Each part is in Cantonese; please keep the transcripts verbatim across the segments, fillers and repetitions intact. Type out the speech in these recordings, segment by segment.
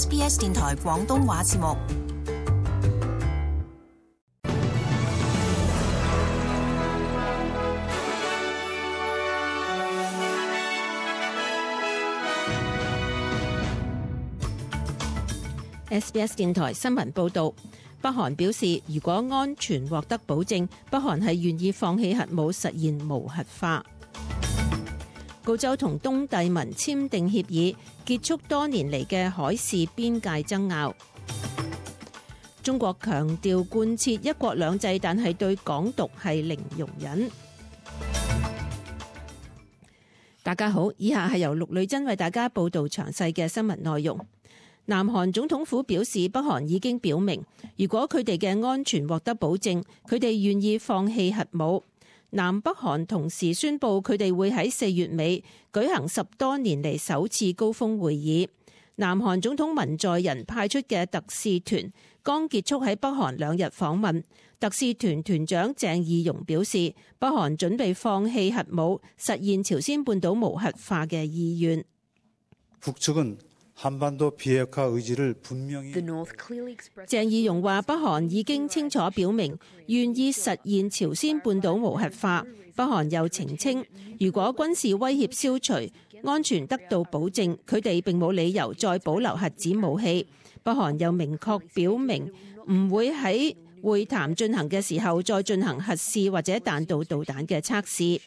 S B S 電台廣東話節目。S B S 電台新聞報導，北韓表示，如果安全獲得保證，北韓係願意放棄核武，實現無核化。澳洲同東帝汶簽訂協議，結束多年嚟嘅海事邊界爭拗。中國強調貫徹一國兩制，但係對港獨係零容忍。大家好，以下係由陸女珍為大家報導詳細嘅新聞內容。南韓總統府表示，北韓已經表明，如果佢哋嘅安全獲得保證，佢哋願意放棄核武。南北韓同時宣布，佢哋會喺四月尾舉行十多年嚟首次高峰會議。南韓總統文在寅派出嘅特使團剛結束喺北韓兩日訪問。特使團團長鄭義溶表示，北韓準備放棄核武，實現朝鮮半島無核化嘅意願。한반도 비핵화 의지를 분명히鄭義溶話，北韓已經清楚表明願意實現朝鮮半島無核化。北韓又澄清，如果軍事威脅消除，安全得到保證，佢哋並冇理由再保留核子武器。北韓又明確表明唔會喺會談進行嘅時候再進行核試或者彈道導彈嘅測試。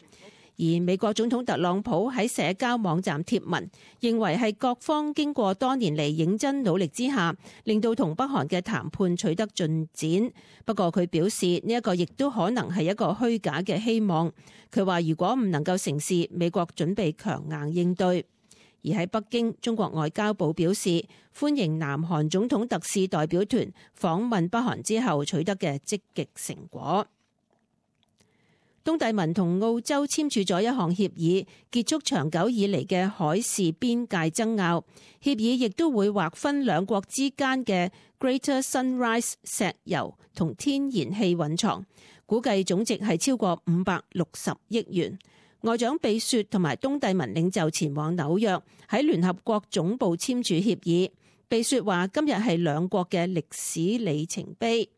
而美國總統特朗普喺社交網站貼文，認為係各方經過多年嚟認真努力之下，令到同北韓嘅談判取得進展。不過佢表示呢一個亦都可能係一個虛假嘅希望。佢話如果唔能夠成事，美國準備強硬應對。而喺北京，中國外交部表示歡迎南韓總統特使代表團訪問北韓之後取得嘅積極成果。東帝汶同澳洲簽署咗一項協議，結束長久以嚟嘅海事邊界爭拗。協議亦都會劃分兩國之間嘅 Greater Sunrise 石油同天然氣蘊藏，估計總值係超過五百六十億元。外長貝雪同埋東帝汶領袖前往紐約喺聯合國總部簽署協議。貝雪話：今日係兩國嘅歷史里程碑。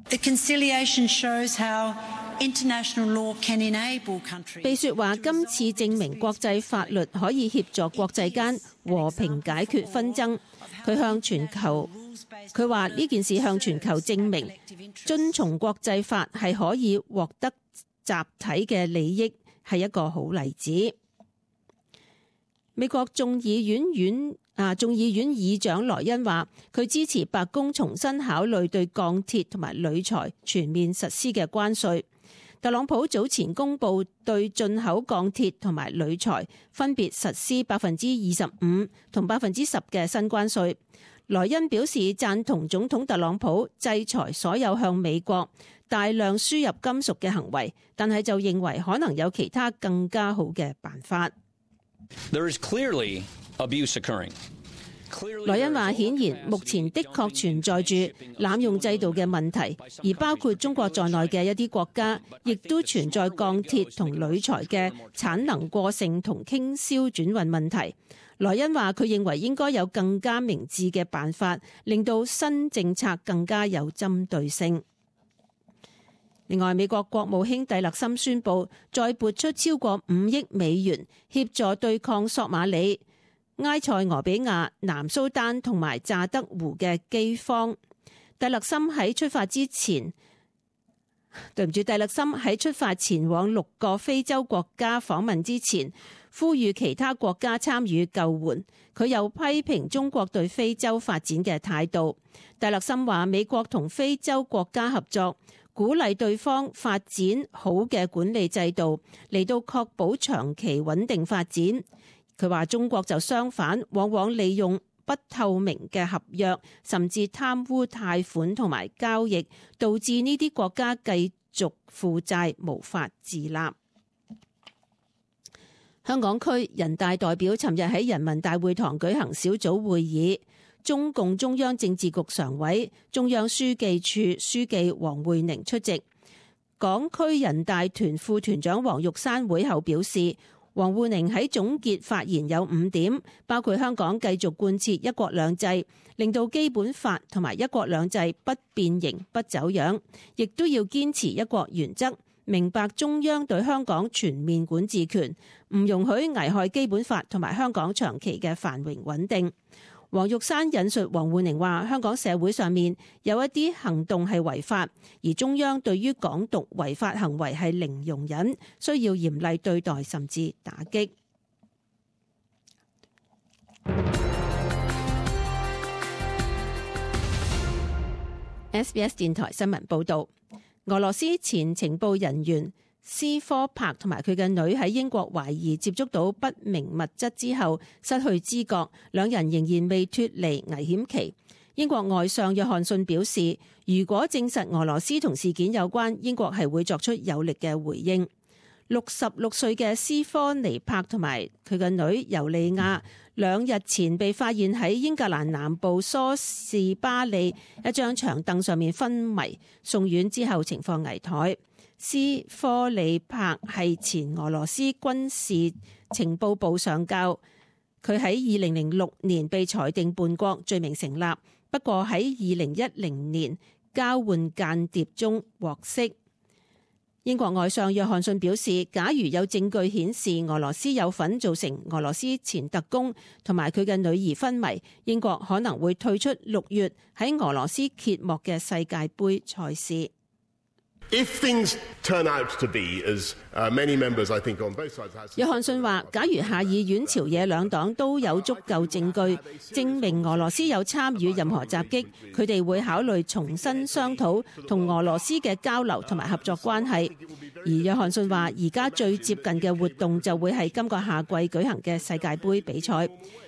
The conciliation shows how international law can enable countries. 貝雪話：今次證明國際法律可以協助國際間和平解決紛爭。佢向全球，佢話呢件事向全球證明，遵從國際法係可以獲得集體嘅利益，係一個好例子。美國眾議院院啊，眾議院議長萊恩話，佢支持白宮重新考慮對鋼鐵同埋鋁材全面實施嘅關稅。特朗普早前公布對進口鋼鐵同埋鋁材分別實施百分之二十五同百分之十嘅新關稅。萊恩表示贊同總統特朗普制裁所有向美國大量輸入金屬嘅行為，但係就認為可能有其他更加好嘅辦法。There is clearly abuse occurring. 萊恩話：顯然目前的確存在住濫用制度嘅問題，而包括中國在內嘅一啲國家，亦都存在鋼鐵同鋁材嘅產能過剩同傾銷轉運問題。萊恩話：佢認為應該有更加明智嘅辦法，令到新政策更加有針對性。另外，美國國務卿蒂勒森宣布再撥出超過五億美元協助對抗索馬里、埃塞俄比亞、南蘇丹同埋乍得湖嘅饑荒。蒂勒森喺出發之前，對唔住，蒂勒森喺出發前往六個非洲國家訪問之前，呼籲其他國家參與救援。佢又批評中國對非洲發展嘅態度。蒂勒森話：美國同非洲國家合作，鼓勵對方發展好嘅管理制度，嚟到確保長期穩定發展。佢話中國就相反，往往利用不透明嘅合約，甚至貪污貸款同埋交易，導致呢啲國家繼續負債，無法自立。香港區人大代表尋日喺人民大會堂舉行小組會議，中共中央政治局常委、中央書記處書記王滙寧出席。港區人大團副團長黃玉山會後表示，王滬寧喺總結發言有五點，包括香港繼續貫徹一國兩制，令到基本法同埋一國兩制不變形不走樣，亦都要堅持一國原則，明白中央對香港全面管治權，唔容許危害基本法同埋香港長期嘅繁榮穩定。黃玉山引述王滬寧話：香港社會上面有一啲行動係違法，而中央對於港獨違法行為係零容忍，需要嚴厲對待甚至打擊。S B S 電台新聞報導，俄羅斯前情報人員斯科柏同埋佢嘅女喺英國懷疑接觸到不明物質之後失去知覺，兩人仍然未脫離危險期。英國外相約翰遜表示，如果證實俄羅斯同事件有關，英國係會作出有力嘅回應。六十六歲嘅斯科尼柏同埋佢嘅女尤利亞兩日前被發現喺英格蘭南部梳士巴利一張長凳上面昏迷，送院之後情況危殆。斯科里柏係前俄羅斯軍事情報部上校，佢喺二零零六年被裁定叛國，罪名成立，不過喺二零一零年交換間諜中獲釋。英國外相約翰遜表示，假如有證據顯示俄羅斯有份造成俄羅斯前特工同埋佢嘅女兒昏迷，英國可能會退出六月喺俄羅斯揭幕嘅世界盃賽事。約翰遜話，假如下議院朝野兩黨都有足夠證據證明俄羅斯有參與任何襲擊，佢哋會考慮重新商討同俄羅斯嘅交流同埋合作關係。而約翰遜話，而家最接近嘅活動就會係今個夏季舉行嘅世界盃比賽。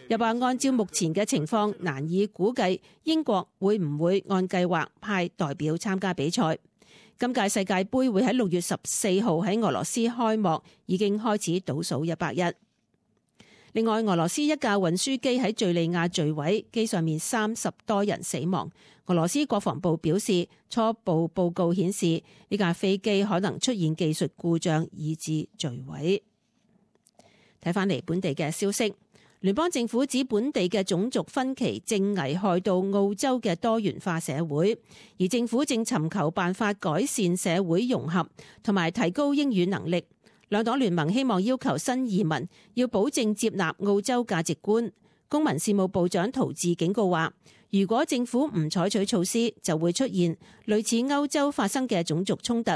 又話按照目前嘅情況，難以估計英國會唔會按計劃派代表參加比賽。今屆世界盃會喺六月十四號喺俄羅斯開幕，已經開始倒數一百日。另外，俄羅斯一架運輸機喺敘利亞墜毀，機上面三十多人死亡。俄羅斯國防部表示，初步報告顯示呢架飛機可能出現技術故障，以致墜毀。睇返嚟本地嘅消息。聯邦政府指本地嘅種族分歧正危害到澳洲嘅多元化社會，而政府正尋求辦法改善社會融合同埋提高英語能力。兩黨聯盟希望要求新移民要保證接納澳洲價值觀。公民事務部長陶治警告話，如果政府唔採取措施，就會出現類似歐洲發生嘅種族衝突。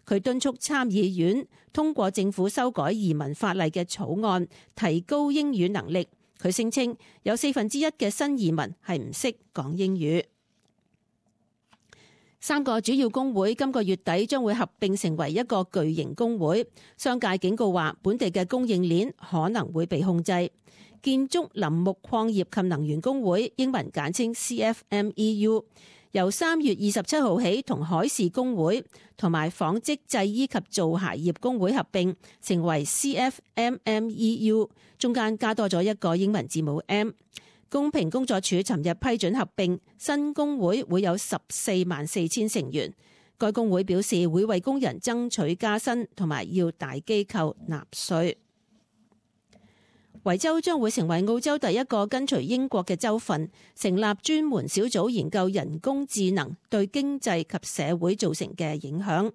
佢敦促參議院通過政府修改移民法例嘅草案，提高英語能力。佢聲稱有四分之一嘅新移民係唔識講英語。三個主要工會今個月底將會合併成為一個巨型工會。商界警告話，本地嘅供應鏈可能會被控制。建築林木礦業及能源工會，英文簡稱 C F M E U， 由三月二十七號起同海事工會同埋紡織製衣及造鞋業工會合併，成為 C F M M E U， 中間加多咗一個英文字母 M。公平工作處尋日批准合併，新工會會有十四萬四千成員。該工會表示會為工人爭取加薪，同埋要大機構納稅。維州將會成為澳洲第一個跟隨英國嘅州份，成立專門小組研究人工智能對經濟及社會造成嘅影響。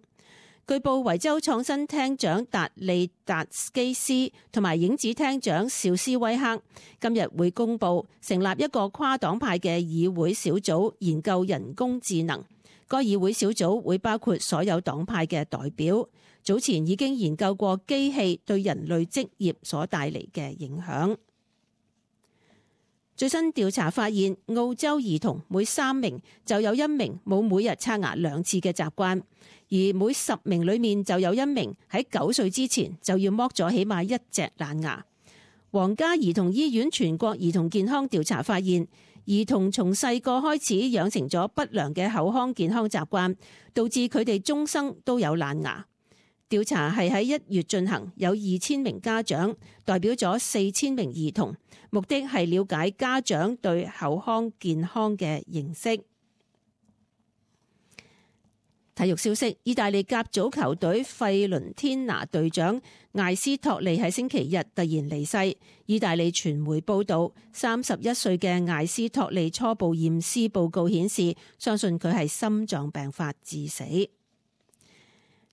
據報，維州創新廳長達利達基斯同埋影子廳長邵斯威克今日會公布成立一個跨黨派嘅議會小組研究人工智能。該議會小組會包括所有黨派嘅代表。早前已經研究過機器對人類職業所帶嚟嘅影響。最新調查發現，澳洲兒童每三名就有一名冇每日刷牙兩次嘅習慣，而每十名裡面就有一名喺九歲之前就要剝咗起碼一隻爛牙。皇家兒童醫院全國兒童健康調查發現，兒童從細個開始養成咗不良嘅口腔健康習慣，導致佢哋終生都有爛牙。調查係喺一月進行，有二千名家長代表咗四千名兒童，目的係了解家長對口腔健康嘅認識。體育消息，意大利甲組球隊費倫天拿隊長艾斯托利喺星期日突然離世。意大利傳媒報道，三十一歲嘅艾斯托利初步驗屍報告顯示，相信佢係心臟病發致死。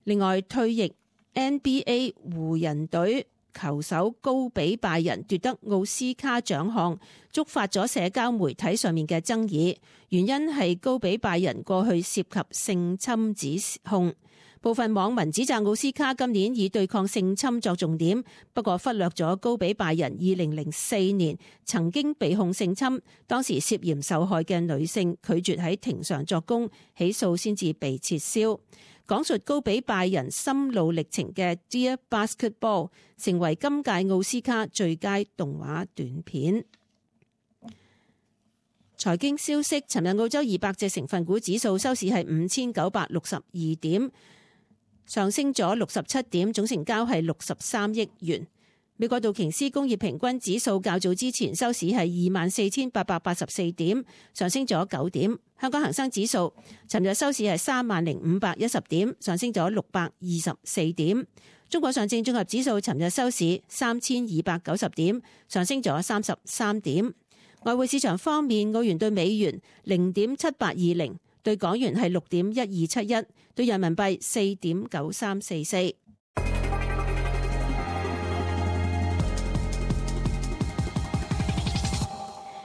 另外，退役 N B A 湖人隊球手高比拜仁奪得奧斯卡獎項，觸發咗社交媒體上面嘅爭議，原因係高比拜仁過去涉及性侵指控。部分網民指責奧斯卡今年以對抗性侵作重點，不過忽略咗高比拜仁二零零四年曾經被控性侵，當時涉嫌受害嘅女性拒絕喺庭上作供，起訴先至被撤銷。講述高比拜仁心路歷程嘅 Dear Basketball 成為今屆奧斯卡最佳動畫短片。財經消息，尋日澳洲二百隻成分股指數收市係五千九百六十二點，上升咗六十七點，總成交係六十三億元。美國道瓊斯工業平均指數較早之前收市係二萬四千八百八十四點，上升咗九點。香港恒生指數尋日收市係三萬零五百一十點，上升咗六百二十四點。中國上證綜合指數尋日收市三千二百九十點，上升咗三十三點。外匯市場方面，澳元對美元零點七八二零，對港元係六點一二七一，對人民幣四點九三四四。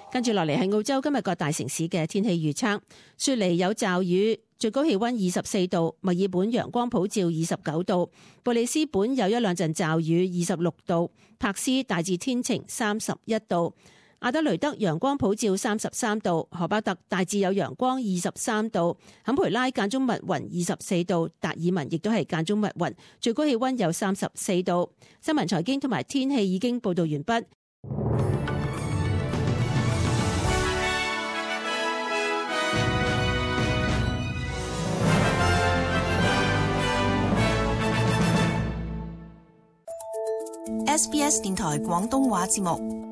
跟住落嚟係澳洲今日各大城市嘅天氣預測。雪梨有驟雨，最高氣溫二十四度；墨爾本陽光普照，二十九度；布里斯本有一兩陣驟雨，二十六度；柏斯大致天晴，三十一度；阿德雷德陽光普照，三十三度；荷巴特大致有陽光，二十三度；坎培拉間中密雲，二十四度；達爾文亦都係間中密雲，最高氣溫有三十四度。新聞財經同埋天氣已經報道完畢。S B S 電台廣東話節目。